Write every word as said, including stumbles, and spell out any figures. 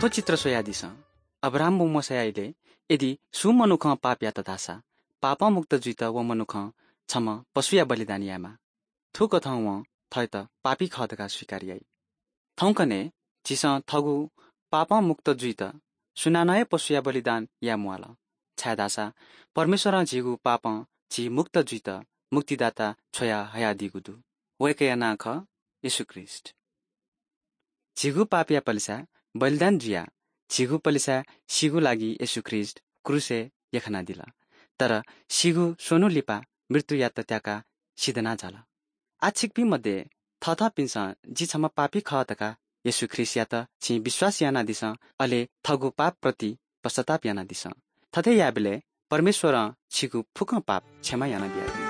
थो चित्र सोयादिस अब्राहम व मोशायाइले यदि सु मनुख पाप यात धासा पाप मुक्त जुइत व मनुख छम पशुया बलिदान यामा थु कथं व थयत पापी ख धकाः स्वीकार याइ। थौकने झिस थगु पाप मुक्त जुइत सुनानय पशुया बलिदान या मुवाल छायदासा परमेश्वर झिगु पाप झि मुक्त जुइत मुक्तिदाता छोया हयादिगु दु। वय्‌कया नां ख येशू ख्रीष्‍ट। झिगु पापया पलिसा बलिदान जुया झिगु पलिसा सिगु लागि येशू ख्रीष्‍ट क्रूसय् यखनादिल। तर सिगु स्‍वन्‍हु लिपा मृत्यु यात त्‍याकाः सिधना झाल। आछिक्‍पिं मध्ये थथपिन्‍सं जि छम्‍ह पापी खः धकाः येशू ख्रीष्‍टयात छिं विश्‍वास यानादिसँ, अले थगु पापप्रति पश्चाताप यानादिसँ। थथे याबलय् परमेश्‍वरं छिगु फुक्‍कं पाप क्षमा यानाबियादी।